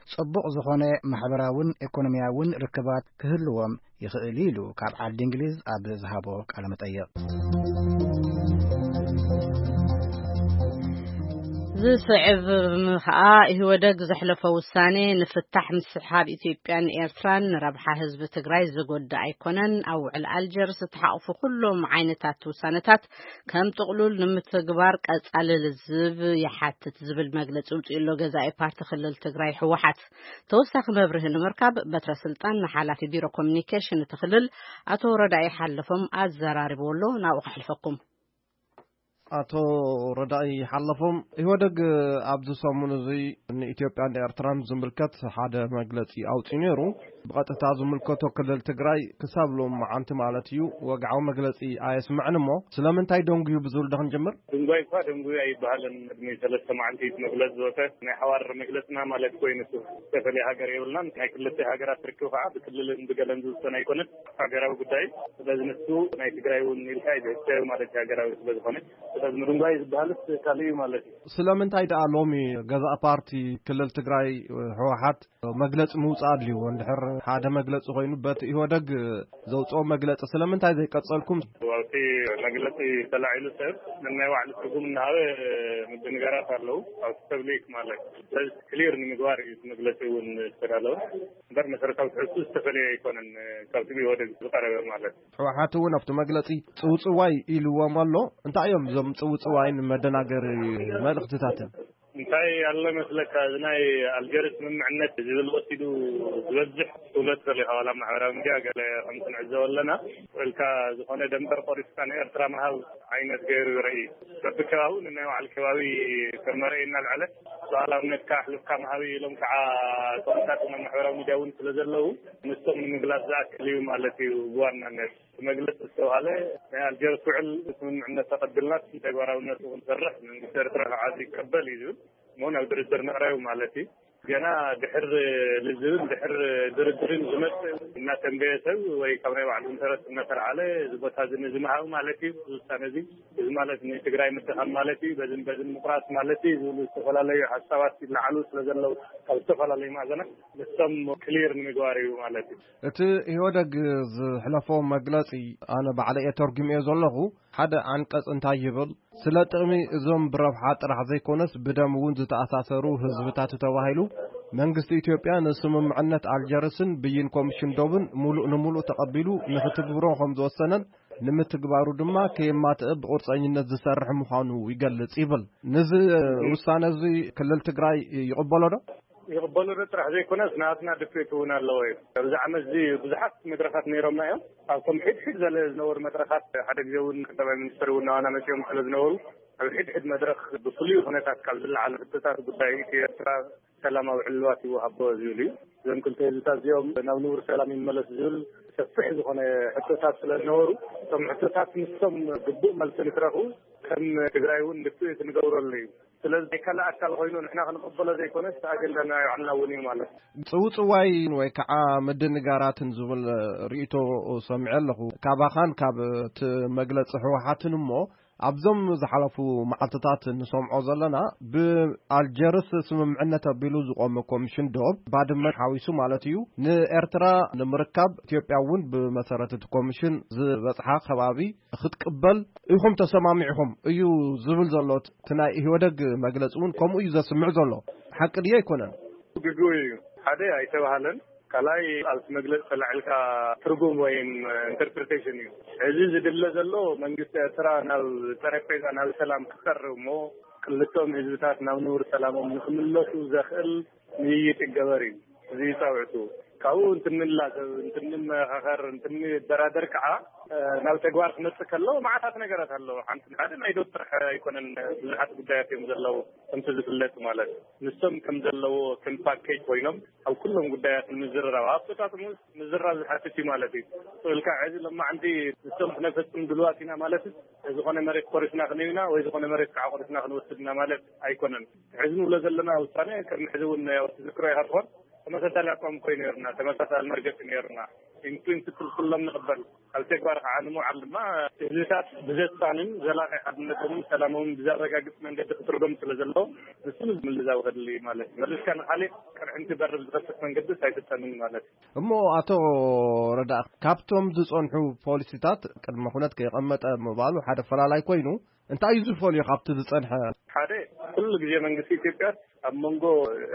ጽቡቕ ዝኾነ ማሕበራውን ኢኮኖሚያውን ርክባት ክህልዎም ይኽእል ኢሉ ካብ ዓዲ እንግሊዝ ኣብ ዝሃቦ ቃለ መጠይቕ። ዝስዕብ ኸኣ ኢህወደግ ዘሕለፎ ውሳኔ ንፍታሕ ምስሕሓብ ኢትዮጵያን ኤርትራን ንረብሓ ህዝቢ ትግራይ ዝጎድእ ኣይኮነን። ኣብ ውዕል ኣልጀርስ ዝተሓቑፉ ኩሎም ዓይነታት ውሳነታት ከም ጥቕሉል ንምትግባር ቀጻሊ ልዝብ ይሓትት ዝብል መግለጺ ውጽኡ ኣሎ ገዛኢ ፓርቲ ክልል ትግራይ ህወሓት። ተወሳኺ መብርሂ ንምርካብ በትረ ስልጣን ንሓላፊ ቢሮ ኮሚኒኬሽን እቲ ክልል ኣቶ ረዳኢ ሓለፎም ኣዘራሪብዎ ኣሎ። ናብኡ ከሕልፈኩም። ኣቶ ረዳኢ ሓለፎም፣ ኢህወደግ ኣብዚ ሰሙን እዚ ንኢትዮጵያን ንኤርትራን ዝምልከት ሓደ መግለጺ ኣውጺኡ ነይሩ። ብቐጥታ ዝምልከቶ ክልል ትግራይ ክሳብ ሎም መዓንቲ ማለት እዩ ወግዓዊ መግለጺ ኣየስምዕን እሞ፣ ስለምንታይ ደንጉዩ ብዝብል ዶ ክንጅምር? ድንጓይ እኳ ደንጉዩ ኣይበሃልን። ቅድሚ ሰለስተ መዓንቲ መግለጺ ዝወፀ ናይ ሓዋር መግለጽና ማለት ኮይኑ፣ ዝተፈለየ ሃገር የብልናን። ናይ ክልተ ሃገራት ርክብ ከዓ ብክልልን ብገለን ዝውሰን ኣይኮነን። ሃገራዊ ጉዳይ። ስለዚ ንሱ ናይ ትግራይ እውን ኢልካ እዩ ዝሕሰብ ማለት እዩ፣ ሃገራዊ ስለ ዝኾነ። ስለዚ ምድንጓይ ዝበሃልስ ካልእ እዩ ማለት እዩ። ስለምንታይ ደኣ ሎሚ ገዛእ ፓርቲ ክልል ትግራይ ህወሓት መግለጺ ምውጻእ ኣድልይዎ? እንድሕር ሓደ መግለጺ ኮይኑ በቲ ኢህወደግ ዘውጽኦ መግለጺ ስለምንታይ ዘይቀጸልኩም? ኣብቲ መግለጺ ተላዒሉ ሰብ ነናይ ባዕሉ ትርጉም እናሃበ ምድንጋራት ኣለዉ። ኣብቲ ፐብሊክ ማለት። ስለዚ ክሊር ንምግባር እዩ እቲ መግለጺ እውን ዝተዳለወ። እምበር መሰረታዊ ትሕዝቱ ዝተፈለየ ኣይኮነን ካብቲ ብኢህወደግ ዝቐረበ ማለት። ህወሓት እውን ኣብቲ መግለጺ ጽውጽዋይ ኢልዎም ኣሎ። እንታይ እዮም እዞም ጽውጽዋይን መደናገሪ መልእኽትታትን? እንታይ ኣሎ መስለካ፣ እዚ ናይ ኣልጀርስ ስምምዕነት ዝብል ወሲዱ ዝበዝሕ ትውለት ዘሎ እዩ። ዋላ ኣብ ማሕበራዊ ሚድያ ገለ ከምቲ ንዕዘቦ ኣለና፣ ውዕልካ ዝኾነ ደንበር ቆሪስካ ንኤርትራ ምሃብ ዓይነት ገይሩ ይርኢ። በብከባቢኡ ንናይ ባዕሉ ከባቢ ከም መርኣይ እናልዐለ፣ ሉዓላውነትካ ኣሕልፍካ ምሃብ ኢሎም ከዓ ጦምታት ናብ ማሕበራዊ ሚድያ እውን ስለ ዘለዉ፣ ንሶም ንምግላጽ ዝኣክል እዩ ማለት እዩ ብዋናነት። እቲ መግለጺ ዝተባህለ ናይ ኣልጀርስ ውዕል ስምምዕነት ተቐቢልና ተግባራውነቱ ክንሰርሕ መንግስቲ ኤርትራ ከዓ ዝቀበል እዩ ዝብል፣ እሞ ናብ ድርድር ንቕረብ ማለት እዩ። ገና ድሕር ልዝብን ድሕር ድርድርን ዝመጽእ እናተንበየ ሰብ ወይ ካብ ናይ ባዕሉ ኢንተረስት እናተልዓለ እዚ ቦታ እዚ ንዝምሃብ ማለት እዩ። እዚ ውሳነ እዚ፣ እዚ ማለት ንትግራይ ምድኻም ማለት እዩ፣ በዝን በዝን ምቁራጽ ማለት እዩ ዝብሉ ዝተፈላለዩ ሓሳባት ይለዓሉ ስለ ዘለዉ ካብ ዝተፈላለዩ ማዕዘናት ንሶም ክሊር ንምግባር እዩ ማለት እዩ። እቲ ኢህወደግ ዝሕለፎ መግለጺ ኣነ ባዕለይ እየ ተርጉመዮ ዘለኹ። ሓደ ዓንቀጽ እንታይ ይብል? ስለ ጥቕሚ እዞም ብረብሓ ጥራሕ ዘይኮነስ ብደም እውን ዝተኣሳሰሩ ህዝብታት ተባሂሉ፣ መንግስቲ ኢትዮጵያ ንስምምዕነት ኣልጀርስን ብይን ኮሚሽን ዶብን ሙሉእ ንሙሉእ ተቐቢሉ ንክትግብሮ ከም ዝወሰነን ንምትግባሩ ድማ ከየማትእ ብቁርፀኝነት ዝሰርሕ ምዃኑ ይገልጽ ይብል። ነዚ ውሳነ እዚ ክልል ትግራይ ይቕበሎ ዶ? ይቕበሉ ዶ ጥራሕ ዘይኮነስ፣ ናትና ድፍኢት እውን ኣለዎ እዩ። ኣብዚ ዓመት እዚ ብዙሓት መድረኻት ነይሮምና እዮም። ኣብቶም ሕድሕድ ዘለ ዝነበሩ መድረኻት፣ ሓደ ግዜ እውን ቀዳማይ ሚኒስትር እውን ናባና መፂኦም ስለ ዝነበሩ፣ ኣብ ሕድሕድ መድረኽ ብፍሉይ ኩነታት ካብ ዝለዓሉ ሕቶታት ጉዳይ ኢትዮ ኤርትራ ሰላማዊ ዕልዋት ይወሃቦ ዝብል እዩ። እዞም ክልተ ህዝብታት እዚኦም ናብ ንቡር ሰላም ይመለስ ዝብል ሰፊሕ ዝኾነ ሕቶታት ስለ ዝነበሩ፣ እቶም ሕቶታት ንሶም ግቡእ መልሲ ንክረኽቡ ከም ትግራይ እውን ድፍኢት ንገብረሉ እዩ። ስለዚ ናይ ካልእ ኣካል ኮይኑ ንሕና ክንቕበሎ ዘይኮነስ ኣጀንዳ ናይ ባዕልና እውን እዩ ማለት እዩ። ጽውጽዋይ ወይ ከዓ ምድንጋራትን ዝብል ርእይቶ ሰሚዐ ኣለኹ። ካባኻን ካብ እቲ መግለጺ ህወሓትን እሞ ኣብዞም ዝሓለፉ መዓልትታት ንሰምዖ ዘለና ብኣልጀርስ ስምምዕነት ኣቢሉ ዝቆመ ኮሚሽን ዶብ ባድመ ሓዊሱ ማለት እዩ ንኤርትራ ንምርካብ ኢትዮጵያ እውን ብመሰረት እቲ ኮሚሽን ዝበጽሓ ከባቢ ክትቅበል ኢኹም ተሰማሚዕኹም እዩ ዝብል ዘሎ እቲ ናይ ኢህወደግ መግለጺ እውን ከምኡ እዩ ዘስምዕ ዘሎ። ሓቂ ድዩ ኣይኮነን? ግጉ እዩ። ሓደ ኣይተባህለን። ካልኣይ ኣብቲ መግለጺ ተላዒልካ ትርጉም ወይም ኢንተርፕሪቴሽን እዩ። እዚ ዝድለ ዘሎ መንግስቲ ኤርትራ ናብ ጠረጴዛ ናብ ሰላም ክቀርብ እሞ ክልቶም ህዝብታት ናብ ንቡር ሰላሞም ንክምለሱ ዘኽእል ምይይጥ ይገበር እዩ። እዚ ጻውዕቱ ካብኡ እንትንላዘብ እንትንመኻኸር እንትንደራደር ከዓ ናብ ተግባር ክመጽእ ከሎ መዓታት ነገራት ኣለዎ። ሓንቲ ሓደ ናይ ዶብ ጥራሕ ኣይኮነን፣ ብዙሓት ጉዳያት እዮም ዘለዉ። ከምቲ ዝፍለጥ ማለት ንሶም ከም ዘለዎ ከም ፓኬጅ ኮይኖም ኣብ ኩሎም ጉዳያት ንምዝርራብ ኣብቶታት ምዝራብ ዝሓትት እዩ ማለት እዩ። ኢልካ ሕዚ ሎማዓንቲ ንሶም ክነፈጽም ድልዋት ኢና ማለት ዝኾነ መሬት ቆሪስና ክንህብና ወይ ዝኾነ መሬት ከዓ ቆሪስና ክንወስድና ማለት ኣይኮነን። ሕዚ ንብሎ ዘለና ውሳነ ቅድሚ ሕዚ እውን ትዝክሮ ኢኻ ትኾን ተመሳሳሊ ኣቋም ኮይኑ ነርና፣ ተመሳሳሊ መርገፂ ነርና። ኢንፕሪንስፕል ኩሎም ንቕበል ኣብ ተግባር ከዓ ንምውዓል ድማ ህዝብታት ብዘሳንን ዘላቂ ሓድነቶምን ሰላሞምን ብዘረጋግፅ መንገዲ ክትርጎም ስለ ዘለዎ ንሱ ምልዛው ከድሊ ማለት እዩ። መሊስካ ንካሊእ ቅርሕንቲ በርብ ዝኸፍት መንገዲ ኣይፍጠንን ማለት እዩ። እሞ ኣቶ ረዳ ካብቶም ዝፀንሑ ፖሊሲታት ቅድመ ኩነት ከይቐመጠ ምባሉ ሓደ ፈላላይ ኮይኑ እንታይ እዩ ዝፈልዮ ካብቲ ዝፀንሐ? ሓደ ኩሉ ግዜ መንግስቲ ኢትዮጵያ ኣብ መንጎ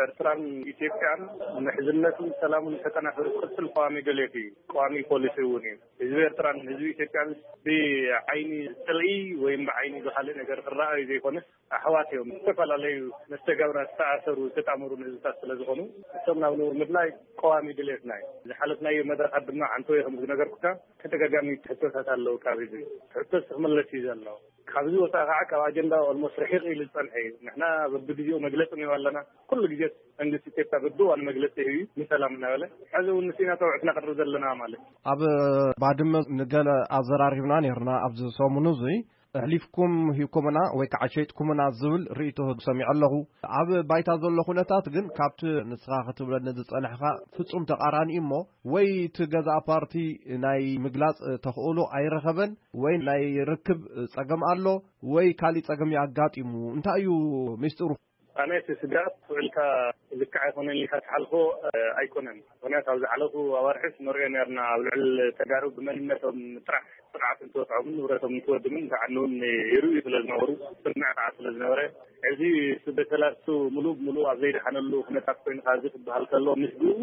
ኤርትራን ኢትዮጵያን ምሕዝነቱን ሰላሙን ተጠናኺሩ ክቕፅል ቀዋሚ ድሌት እዩ። ቀዋሚ ፖሊሲ እውን እዩ። ህዝቢ ኤርትራን ህዝቢ ኢትዮጵያን ብዓይኒ ፅልኢ ወይም ብዓይኒ ብካልእ ነገር ክረኣዩ ዘይኮነስ ኣሕዋት እዮም። ዝተፈላለዩ መስተጋብራት ዝተኣሰሩ ዝተጣመሩ ህዝብታት ስለ ዝኾኑ እቶም ናብ ንቡር ምድላይ ቀዋሚ ድሌትና እዩ። ዝሓለፍናዮ መድረኻት ድማ ዓንተወይ ከም ዝነገርኩካ ተደጋጋሚ ትሕቶታት ኣለዉ። ካብ ህዝቢ ትሕቶስ ክምለስ እዩ ዘሎ። ካብዚ ወፃኢ ከዓ ካብ ኣጀንዳ ኦልሞስት ርሒቕ ኢሉ ዝፀንሐ እዩ። ንሕና በብግዜኡ መግለፂ ንህብ ኣለና። ኩሉ ግዜ መንግስቲ ኢትዮጵያ በብዋን መግለፂ ይህብ እዩ ንሰላም እናበለ። ሕዚ እውን ንሲና ፀውዕት ነቅርብ ዘለና ማለት እዩ። ኣብ ባድመ ንገለ ኣዘራሪብና ነርና ኣብዚ ሰሙኑ እዙይ ኣሕሊፍኩም ሂብኩምና ወይ ከዓ ሸይጥኩምና ዝብል ርእይቶ ሰሚዐ ኣለኹ። ኣብ ባይታ ዘሎ ኩነታት ግን ካብቲ ንስኻ ክትብለኒ ዝጸናሕካ ፍጹም ተቓራኒ እሞ ወይ እቲ ገዛእ ፓርቲ ናይ ምግላጽ ተኽእሎ ኣይረኸበን ወይ ናይ ርክብ ጸገም ኣሎ ወይ ካሊእ ጸገም እዩ ኣጋጢሙ። እንታይ እዩ ሚስጥሩ? ኣነ እቲ ስጋት ውዕልካ ልክዕ ኣይኮነን ኢልካ ትሓልፎ ኣይኮነን። ምክንያቱ ኣብ ዝሓለፉ ኣዋርሕስ ንሪኦ ነርና ኣብ ልዕል ተጋሩ ብመንነቶም ጥራሕ ስርዓት እንትወፅዖምን ንብረቶም እንትወድምን ተዓንውን ይርእዩ ስለ ዝነበሩ ስምዕ ከዓ ስለ ዝነበረ እዚ ስደተላሱ ሙሉእ ብሙሉእ ኣብ ዘይደሓነሉ ኩነታት ኮይንካ እዚ ክበሃል ከሎ ምስግኡ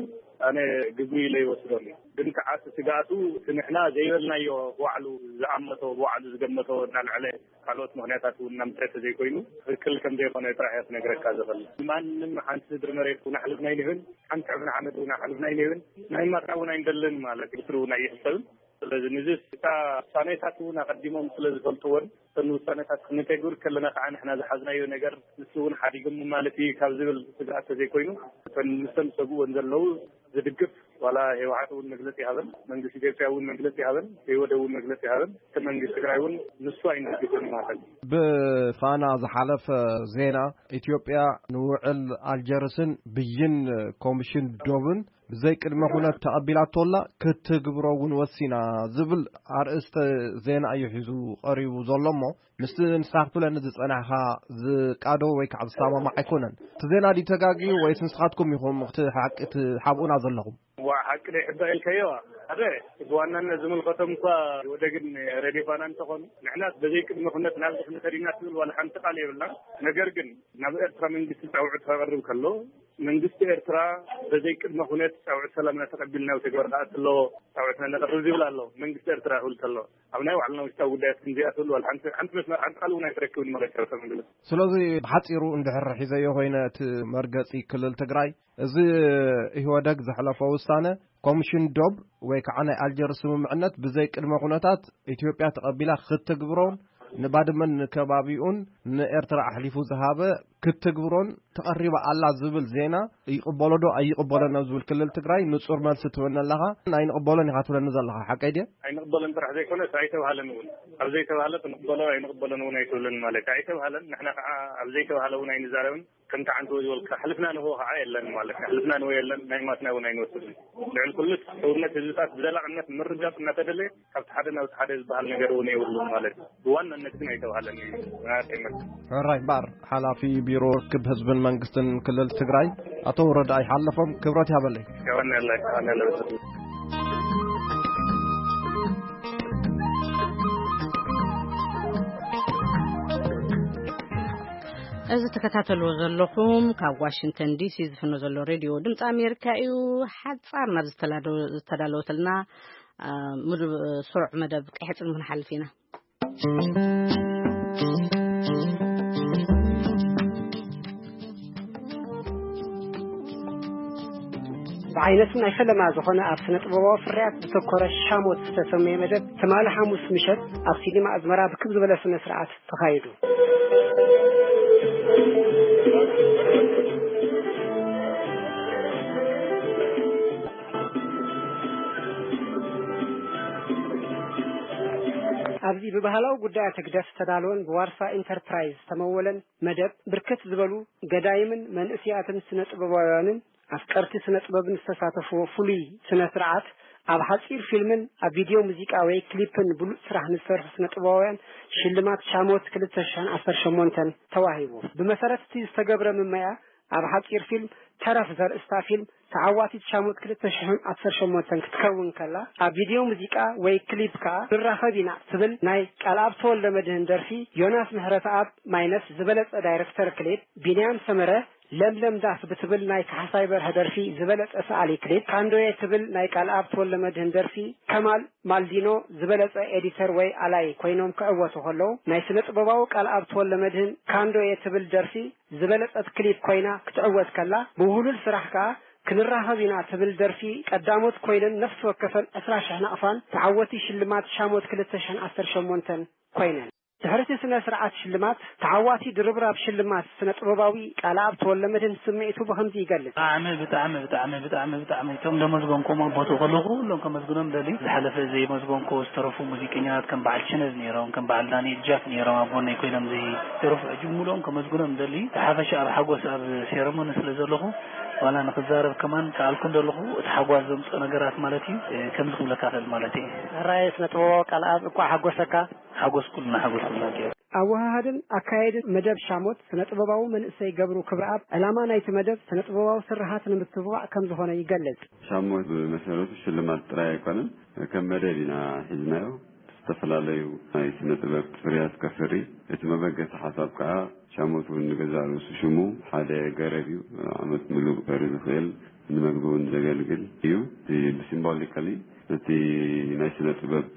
ኣነ ግጉይ ኢለ ይወስዶም እዩ። ግን ከዓ እቲ ስግኣቱ እቲ ንሕና ዘይበልናዮ ባዕሉ ዝኣመቶ ባዕሉ ዝገመቶ እናልዐለ ካልኦት ምክንያታት እውን እናምፀ ተዘይኮይኑ ትክክል ከም ዘይኮነ ጥራሕ እየ ክነግረካ ዝኽእል። ማንም ሓንቲ ስድሪ መሬት እውን ኣሕልፍና ኣይንህብን፣ ሓንቲ ዕፍና ሓመድ እውን ኣሕልፍና ኣይንህብን፣ ናይ ማካ እውን ኣይንደልን ማለት እዩ። ብስሩ እውን ኣይሕሰብን። ስለዚ ንዚ እታ ውሳኔታት እውን ኣቐዲሞም ስለ ዝፈልጥዎን እተን ውሳኔታት ክንተግብር ከለና ከዓ ንሕና ዝሓዝናዮ ነገር ንሱ እውን ሓዲጎም ማለት እዩ ካብ ዝብል ስግኣት ተዘይኮይኑ እተን ንሰን ዝሰግእወን ዘለዉ ዝድግፍ ዋላ ህወሓት እውን መግለፂ ይሃበን መንግስቲ ኢትዮጵያ እውን መግለፂ ይሃበን ህወደ እውን መግለፂ ይሃበን እቲ መንግስቲ ትግራይ እውን ንሱ ኣይንድግፍን ማለት እዩ። ብፋና ዝሓለፈ ዜና ኢትዮጵያ ንውዕል ኣልጀርስን ብይን ኮሚሽን ዶብን ብዘይ ቅድመ ኩነት ተቐቢላቶላ ክትግብሮ እውን ወሲና ዝብል ኣርእስተ ዜና እዩ ሒዙ ቀሪቡ ዘሎ እሞ ምስቲ ንስኻ ክትብለኒ ዝጸናሕካ ዝቃዶ ወይ ከዓ ዝሰማማዕ ኣይኮነን። እቲ ዜና ድዩ ተጋግዩ ወይስ ንስኻትኩም ኢኹም እቲ ሓቂ ትሓብኡና ዘለኹም? ዋ ሓቂ ደይ ሕባ ኢልካዮ ሓደ ብዋናነት ዝምልከቶም እኳ ወደግን ረዴፋና እንተኾኑ ንሕናስ በዘይ ቅድመ ኩነት ናብ ዝኽነ ከዲና ትብል ዋላ ሓንቲ ቃል የብልና። ነገር ግን ናብ ኤርትራ መንግስቲ ፃውዒት ከቐርብ ከሎ መንግስቲ ኤርትራ በዘይ ቅድመ ኩነት ፃውዒት ሰላምና ተቐቢልና ተግባር ከኣት ኣለዎ ፃውዒትና ነቐርብ ዝብል ኣሎ መንግስቲ ኤርትራ ይብል ከሎ ኣብ ናይ ባዕልና ውሽጣዊ ጉዳያት ክንዚኣ ትብል ዋላ ሓንቲ ሓንቲ መስመር ሓንቲ ቃል እውን ኣይትረክብን ማለት ኤርትራ መንግስቲ። ስለዚ ብሓፂሩ እንድሕር ሒዘዮ ኮይነ እቲ መርገፂ ክልል ትግራይ እዚ ኢህወደግ ዘሕለፎ ውሳነ ኮሚሽን ዶብ ወይ ከዓ ናይ ኣልጀርስ ስምምዕነት ብዘይ ቅድመ ኩነታት ኢትዮጵያ ተቐቢላ ክትግብሮን ንባድመን ንከባቢኡን ንኤርትራ ኣሕሊፉ ዝሃበ ክትትግብሮን ተቐሪባ ኣላ ዝብል ዜና ይቕበሎ ዶ ኣይቕበሎን ኣብ ዝብል ክልል ትግራይ ንጹር መልሲ ትህበኒ ኣለኻ። ኣይንቕበሎን ኢኻ ትብለኒ ዘለኻ፣ ሓቀይ ድየ? ኣይንቕበሎን ጥራሕ ዘይኮነስ ኣይተባህለን እውን። ኣብ ዘይተባህለ ክንቕበሎ ኣይንቕበሎን እውን ኣይትብልን ማለት እዩ። ኣይተባህለን፣ ንሕና ከዓ ኣብ ዘይተባህለ እውን ኣይንዛረብን። ከምቲ ዓንተቦ ዝበልካ፣ ሕልፍና ንህቦ ከዓ የለን ማለት እዩ። ሕልፍና ንህቦ የለን፣ ናይ ማትና እውን ኣይንወስድን። ልዕሊ ኩሉስ ሕውነት ህዝብታት ብዘላቕነት ምርጋፅ እናተደለየ፣ ካብቲ ሓደ ናብቲ ሓደ ዝበሃል ነገር እውን የብሉን ማለት እዩ። ብዋናነት ግን ኣይተባህለን እዩ። ናይ ኣርቀይ መልሲ። ሕራይ እምበኣር፣ ሓላፊ ቢሮ ርክብ ህዝብን መንግስትን ክልል ትግራይ ኣቶ ረዳኢ ሓለፎም ክብረት ይሃበለይ። የቐንየለይ፣ የቐንየለይ። እዚ ትከታተልዎ ዘለኹም ካብ ዋሽንግተን ዲሲ ዝፍኖ ዘሎ ሬድዮ ድምፂ ኣሜሪካ እዩ። ሓፃር ናብ ዝተላደ- ዝተዳለወትልና፣ አ፣ ምድ- ስሩዕ መደብ ቀይሕ ፅልሚ ክንሓልፍ ኢና። ብዓይነቱ ናይ ፈለማ ዝኾነ ኣብ ስነ ጥበባዊ ፍርያት ዝተኮረ ሻሞት ዝተሰመየ መደብ ትማሊ ሓሙስ ምሸት ኣብ ሲኒማ ኣዝመራ ብክብ ዝበለ ስነ ስርዓት ተኻይዱ። ኣብዚ ብባህላዊ ጉዳያት ህግደፍ ዝተዳለወን ብዋርሳ ኢንተርፕራይዝ ዝተመወለን መደብ ብርክት ዝበሉ ገዳይምን መንእስያትን ስነ ጥበባውያንን ኣፍቀርቲ ስነ ጥበብን ዝተሳተፍዎ ፍሉይ ስነ ስርዓት ኣብ ሓጺር ፊልምን ኣብ ቪድዮ ሙዚቃ ወይ ክሊፕን ብሉጽ ስራሕ ንዝሰርሑ ስነ ጥበባውያን ሽልማት ሻሞት ክልተ ሽሕን ዓሰርተ ሸሞንተን ተዋሂቡ። ብመሰረት እቲ ዝተገብረ ምመያ ኣብ ሓጺር ፊልም ተረፍ ዘርእስታ ፊልም ተዓዋቲት ሻሞት ክልተ ሽሕን ዓሰርተ ሸሞንተን ክትከውን ከላ ኣብ ቪድዮ ሙዚቃ ወይ ክሊፕ ከኣ ንራኸብ ኢና ትብል ናይ ቃልኣብ ተወልደ መድህን ደርፊ ዮናስ ምሕረተኣብ ማይነስ ዝበለጸ ዳይረክተር ክሊፕ፣ ቢንያም ሰመረ ለምለም ዳስ ብትብል ናይ ካሕሳይ በርሀ ደርፊ ዝበለጸ ሰኣሊ ክሊፕ፣ ካንዶየ ትብል ናይ ቃልኣብ ተወልደ መድህን ደርፊ፣ ከማል ማልዲኖ ዝበለጸ ኤዲተር ወይ ኣላይ ኮይኖም ክዕወቱ ከለዉ፣ ናይ ስነ ጥበባዊ ቃልኣብ ተወልደ መድህን ካንዶየ ትብል ደርፊ ዝበለጸት ክሊፕ ኮይና ክትዕወት ከላ፣ ብውህሉል ስራሕ ከኣ ክንራኸብ ኢና ትብል ደርፊ ቀዳሞት ኮይነን ነፍሲ ወከፈን ዕስራ ሽሕ ናቕፋን ተዓወቲ ሽልማት ሻሞት ክልተ ሽሕን ዓሰርተ ሸሞንተን ኮይነን። ድሕሪ እቲ ስነ ስርዓት ሽልማት፣ ተዓዋቲ ድርብራብ ሽልማት ስነ ጥበባዊ ቃልኣብ ተወልደመድህን ስምዒቱ ብኸምዚ ይገልጽ። ብጣዕሚ ብጣዕሚ ብጣዕሚ ብጣዕሚ ብጣዕሚ እቶም ዘመስገንኩም ኣብ ቦትኡ ከለኹ ኩሎም ከመስግኖም ደሊ። ዝሓለፈ ዘይመስገንኮ ዝተረፉ ሙዚቀኛታት ከም በዓል ችነዝ ነይሮም፣ ከም በዓል ዳንኤል ጃክ ነይሮም ኣብ ጎነይ ኮይኖም ዝተረፉ ሕጂ ሙሉኦም ከመስግኖም ደሊ። ብሓፈሻ ኣብ ሓጎስ ኣብ ሴረሞኒ ስለ ዘለኹ ዋላ ንክዛረብ ከማን ከኣልኩ እንደለኹ እቲ ሓጓስ ዘምፅኦ ነገራት ማለት እዩ። ከምዚ ክብለካ ክእል ማለት እዩ። ሕራይ ስነ ጥበባዊ ቃልኣብ እንኳዕ ሓጎሰካ። ሓጎስ ኩልና ሓጎስ ኩልና ገይሩ። ኣወሃሃድን ኣካየድን መደብ ሻሞት ስነ ጥበባዊ መንእሰይ ገብሩ ክብረኣብ ዕላማ ናይቲ መደብ ስነ ጥበባዊ ስርሓት ንምትብባዕ ከም ዝኾነ ይገልጽ። ሻሞት ብመሰረቱ ሽልማት ጥራይ ኣይኮነን፣ ከም መደብ ኢና ሒዝናዮ። ዝተፈላለዩ ናይ ስነ ጥበብ ፍርያት ከፍሪ። እቲ መበገሲ ሓሳብ ከኣ ሻሞት እውን ንገዛእ ርእሱ ሽሙ ሓደ ገረብ እዩ። ዓመት ምሉእ ከፍሪ ዝኽእል ንመግቢ እውን ዘገልግል እዩ። እቲ ብሲምቦሊካሊ ነቲ ናይ ስነ ጥበብ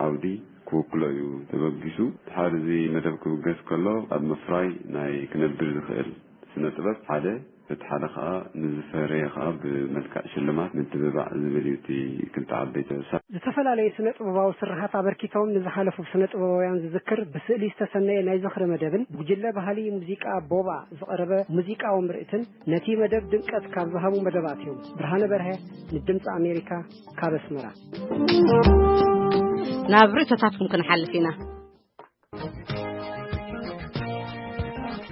ዓውዲ ክውክሎ እዩ ተበጊሱ። ድሓር እዚ መደብ ክብገስ ከሎ ኣብ ምፍራይ ናይ ክነብር ዝኽእል ስነ ጥበብ ሓደ፣ እቲ ሓደ ከኣ ንዝፈረየ ከኣ ብመልክዕ ሽልማት ምትብባዕ ዝብል እዩ እቲ ክልተ ዓበይቲ ርእሳ። ዝተፈላለዩ ስነ ጥበባዊ ስርሓት ኣበርኪቶም ንዝሓለፉ ስነ ጥበባውያን ዝዝክር ብስእሊ ዝተሰነየ ናይ ዝኽሪ መደብን ጉጅለ ባህሊ ሙዚቃ ቦባ ዝቐረበ ሙዚቃዊ ምርኢትን ነቲ መደብ ድምቀት ካብ ዝሃቡ መደባት እዮም። ብርሃነ በርሀ ንድምፂ ኣሜሪካ ካብ ኣስመራ። ናብ ርእቶታትኩም ክንሓልፍ ኢና።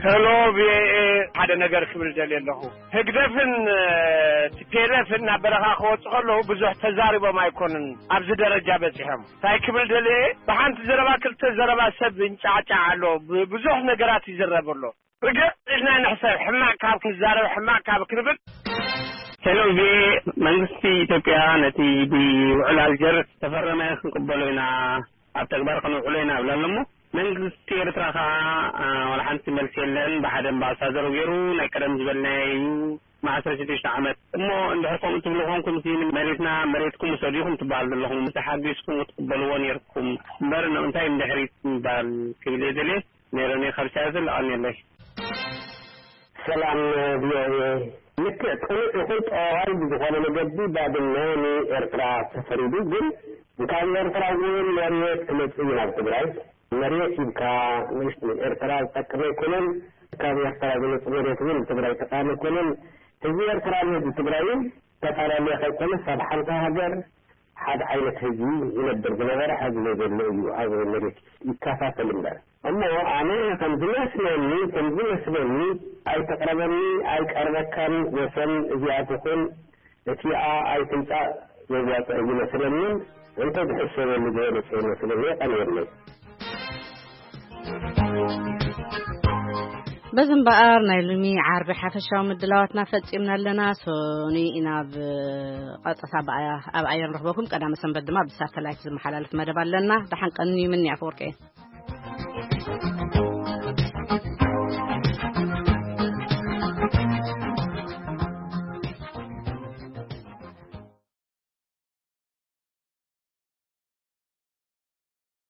ሄሎ ቪኦኤ፣ ሓደ ነገር ክብል ደልየ ኣለኹ። ህግደፍን ቲፒኤልኤፍን ናብ በረኻ ክወፁ ከለዉ ብዙሕ ተዛሪቦም ኣይኮኑን ኣብዚ ደረጃ በፂሖም። እንታይ ክብል ደልየ፣ ብሓንቲ ዘረባ ክልተ ዘረባ ሰብ ይንጫዕጫዕ ኣሎ። ብዙሕ ነገራት ይዝረብ ኣሎ። ርግእ ኢልና ንሕሰብ፣ ሕማቕ ካብ ክንዛረብ ሕማቕ ካብ ክንብል። ሄሎ ቪኦኤ፣ መንግስቲ ኢትዮጵያ ነቲ ብውዕል ኣልጀርስ ዝተፈረመ ክንቅበሎ ኢና፣ ኣብ ተግባር ከነውዕሎ ኢና ይብል ኣሎ እሞ መንግስቲ ኤርትራ ከኣ ዋላ ሓንቲ መልሲ የለን። ብሓደ ኣምባሳደሩ ገይሩ ናይ ቀደም ዝበልናዮ እዩ፣ መዓስ ሽዱሽተ ዓመት እሞ እንድሕር ከምኡ ትብሉ ኮንኩም ሲ መሬትና መሬትኩም ውሰዱ ኢኹም ትበሃል ዘለኹም፣ ተሓጊዝኩም ክትቅበልዎ ነይርኩም እምበር እንታይ እንድሕሪት ምባል ክብል እየ ደልየ። ነይረ እኔ ካብ ቻይና ለኣልኒ ኣለይ። ሰላም ቪኦኤ፣ ልክዕ ቅኑዕ ይኹን ጠዋዋይ ብዝኾነ መገዲ ባድመ ንኤርትራ ተፈሪዱ፣ ግን ካብ ኤርትራ እውን መሬት ክመጽእ እዩ ናብ ትግራይ። መሬት ሂብካ ንእሽቶ ንኤርትራ ዝጠቅም ኣይኮነን። ካብ ኤርትራ ዝመጽእ መሬት እውን ንትግራይ ጠቃሚ ኣይኮነን። ህዝቢ ኤርትራ ንህዝቢ ትግራይ እውን ተፈላለየ ከይኮነስ ኣብ ሓንቲ ሃገር ሓደ ዓይነት ህዝቢ ዝነብር ዝነበረ፣ ሕዚ ዘሎ እዩ። ኣብ መሬት ይከፋፈል እምበር። እሞ ኣነ ከም ዝመስለኒ፣ ከም ዝመስለኒ፣ ኣይትቕረበኒ፣ ኣይቀርበካን፣ ወሰን እዚኣ ትኹን እቲኣ ኣይትምጻእ ዘዋጽእ ይመስለኒ። እንተ ዝሕሰበሉ ዝበለጸ ይመስለኒ። የቐንየለይ። በዚ እምበኣር ናይ ሎሚ ዓርቢ ሓፈሻዊ ምድላዋትና ፈጺምና ኣለና። ሶኒ ኢና ኣብ ቀጥታ ብኣ-፣ ኣብ ኣየር ንረኽበኩም። ቀዳመ ሰንበት ድማ ብሳተላይት ዝመሓላለፍ መደብ ኣለና። ደሓን ቀንዩ። ምኒ ኣፈወርቂ።